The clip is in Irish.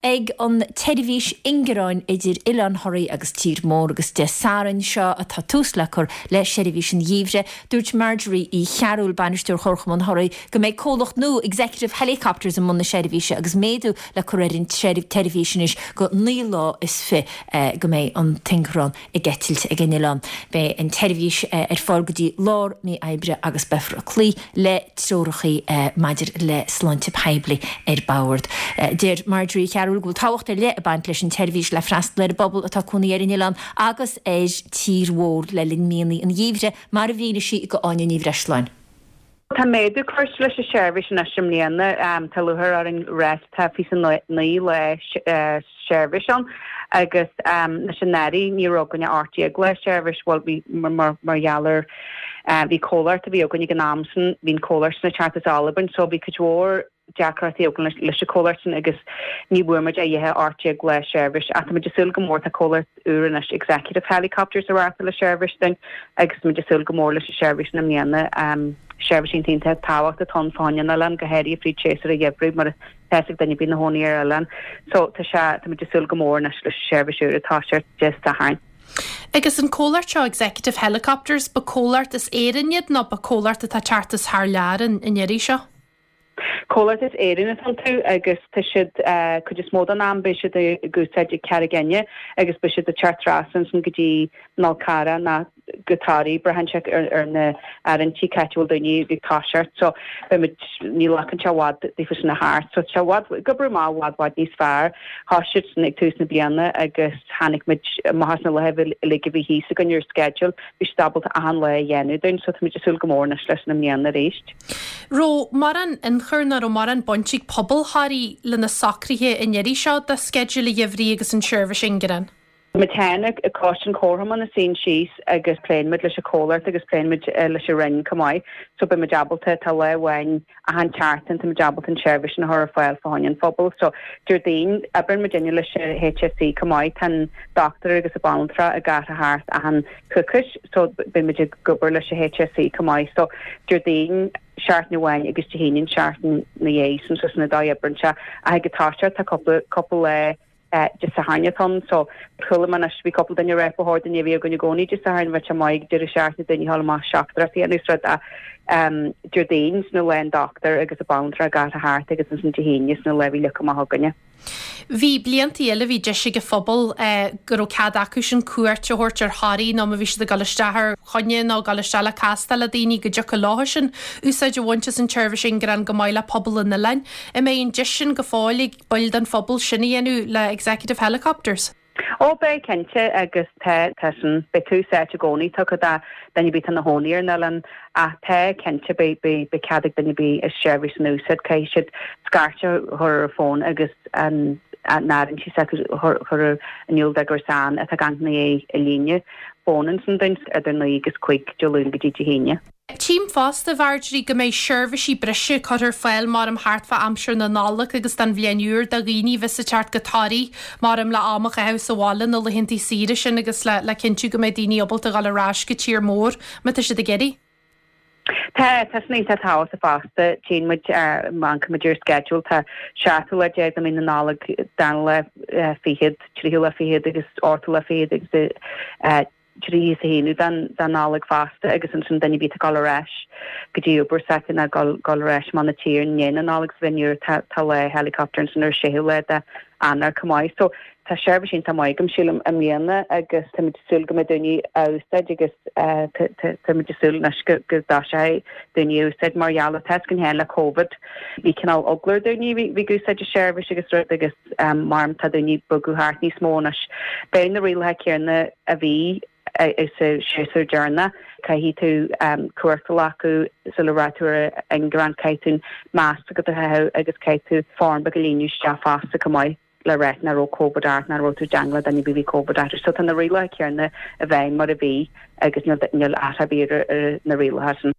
Ag an tseirbhís ingearáin idir Oileán Thoraí agus Tír Mór agus Dé Sathairn seo atá tús le cur le seirbhís an gheimhridh. Dúirt Marjorie Uí Chearúil, Bainisteoir Chomharchumann Thoraí, go mbeidh comhlacht nua Executive Helicopters i mbun na seirbhíse agus méadú le cur ar an tseirbhís anois go 29 lá go mbeidh an t-ingearán ag eitilt ag an oileán. Beidh an tseirbhís ar fáil go dtí lár mí Aibreáin agus beifear ag cloí le treoracha maidir le sláinte poiblí ar bord. Deir Marjorie Uí Chearúil go bhfuil tábhacht ar leith ag baint leis an tseirbhís le freastal ar an bpobal atá ag cónaí ar an oileán agus ar Tír Mhór le linn míonna an gheimhridh, mar a mhínigh sí do Áine Ní Bhreisleáin. Tá méadú curtha leis an seirbhís anois i mbliana. Tá lúcháir orainn ráit tá 29 lá seirbhís ann agus anois anuraidh ní raibh againn ach 18 lá seirbhís, bhuel bhí mar gheall ar bhí comhlacht a bhí againn ag an am sin, bhí an comhlacht sin ag teacht as Albain so bhí cuid mhór deacrachtaí againn leis an comhlacht sin agus ní bhfuair muid a dhath ach 18 lá seirbhís ach tá muid ag súil go mór, tá comhlacht úr anois Executive Helicopters ag reáchtáil an seirbhís dúinn agus tá muid ag súil go mór leis an seirbhís sin i mbliana. Seirbhís iontach iontach tábhachtach atá ann fá choinne an oileáin, go háirithe fríd séasúr an gheimhridh mar atá fhios ag duine ar bith ina chónaí ar oileán. So tá sé, tá muid ag súil go mór anois leis an seirbhís úr atá ag toiseacht Dé Sathairn. Agus an comhlacht seo Executive Helicopters, ba comhlacht as Éirinn iad nó ba comhlacht atá ag teacht as thar lear an iarraidh seo? Comhlacht as Éirinn atá iontu agus tá siad, cuid is mó den am beidh siad ag úsáid ag Carraig Fhinne agus beidh siad ag teacht trasna ansin go dtí an Fhál Carrach ná go Toraigh, braitheann sé ar na áirithintí cá háit a bhfuil daoine ag toiseacht so beidh muid, ní ghlacann sé i bhfad daofa sin a theacht so tá sé i bhfad, ag oibriú amach i bhfad bhfad níos fearr. Thosaigh siad sin ag tús na bliana agus tháinig muid amach as na laetha uilig a bhí thíos againn ar sceideal, bhí siad ábalta achan lá a dhéanamh dúinn so táimid ag súil go mór anois leis sin i mbliana arís. Raibh mórán ionchur ná raibh mórán baint ag pobal Thoraí le na socruithe an iarraidh seo do sceideal an gheimhridh agus an seirbhís ingearáin? Muid féin ag coiste an Chomharchumainn a suíonn síos agus pléann muid leis an chomhlacht agus pléann muid leis an Roinn chomh maith so beidh muid ábalta, tá lá amháin achan tseachtain tá muid ábalta an tseirbhís sin a chur ar fáil fá choinne an phobail. So Déardaoin, oibríonn muidinne leis an HSE chomh maith, tá an dochtúir agus an banaltra ag athrú thart achan coicís so beidh muid ag obair leis an HSE chomh maith so Déardaoin seachtain amháin agus Dé hAoine an seachtain na dhiaidh sin so sin an dóigh a oibreann sé ach ag an toiseacht tá cúpla cúpla lá Dé Sathairn atá ann so chuala mé anois bhí cúpla duine ag rá ba chóir dúinn a bheith againn i gcónaí Dé Sathairn bheadh sé maith ag deireadh seachtaine daoine a ghabháil amach siopadóireacht a dhéanamh is rud ach Déardaoin sin an lá an dochtúir agus an banaltra ag athrú thart agus ansin Dé hAoine sin an lá a bhí leagtha amach againne. Bhí bliantaí eile, bhí deis ag an phobal go raibh cead acusan cuairt a thabhairt ar Thoraigh nó má bhí siad ag dul isteach ar choinne nó ag dul isteach le castáil le daoine go dtiocfadh leothusan úsáid a bhaint as an tseirbhís ingearáin chomh maith le pobal an oileáin. An mbeidh an deis sin go fóill ag baill den phobal sin a dhéanamh le Executive Helicopters? Ó beidh cinnte agus tá, tá sin, beidh tús áite i gcónaí tugtha do duine ar bith atá ina chónaí ar an oileán ach tá cinnte beidh, beidh, beidh cead ag duine ar bith an seirbhís sin a úsáid, caithfidh siad scairt a chur ar an bhfón agus an, an áirithint s'acu a chur, chur in iúl do gur ann atá ag amharc ina dhiaidh an líne fóin ansin dúinn idir 9 agus 5 Dé Luain go dtí Dé hAoine. Tchím fosta, a Mharjorie, go mbeidh seirbhísí breise curtha ar fáil maram thart fá aimsir na Nollag agus don Bhliain Úr do dhaoine a bheas ag teacht go Toraigh maram le am a chaitheamh sa bhaile na laethantaí saoire sin agus le le cinntiú go mbeidh daoine ábalta a dhul ar ais go tír mór má tá siad ag iarraidh. Tá, tá sin iontach tábhachtach fosta. Tchíonn muid, má amharcann muid ar an sceideal, tá seachtú lá déag de mhí na Nollag, darna lá fichead, tríú lá fichead agus ochtú lá fichead agus 31 de Nollaig fosta agus ansin duine ar bith atá ag dul ar ais go dtí obair s'acu nó dul dul ar ais amach 'na tír i ndiaidh na Nollag sa bhliain úr tá tá lá helicopter ansin ar séú lá de Eanáir chomh maith. So tá seirbhís iontach maith agam sílim i mbliana agus táimid ag súil go mbeidh daoine á úsáid agus táimid ag súil anois go go dtoiseoidh daoine á úsáid mar gheall ar tá a fhios againn féin le Covid bhí cineál eagla ar daoine bhí bhí ag úsáid an seirbhís agus rud agus Maram tá daoine ag bogadh thart níos mó anois. Beidh na rialacha céanna a bhí sa séasúr deireanach. Caithfidh tú cumhacht a ghlacadh sula rachaidh tú ar an ingearán, caithfidh tú an masc s'agat a chaitheamh agus caithfidh tú form beag a líonadh isteach fosta chomh maith le ráit nach raibh Covid ort, nach raibh tú i dteangmháil le duine ar bith a bhí Covid orthu. So tá na rialacha céanna i bhfeidhm mar a bhí agus níl athrú ar bith ar na rialacha sin.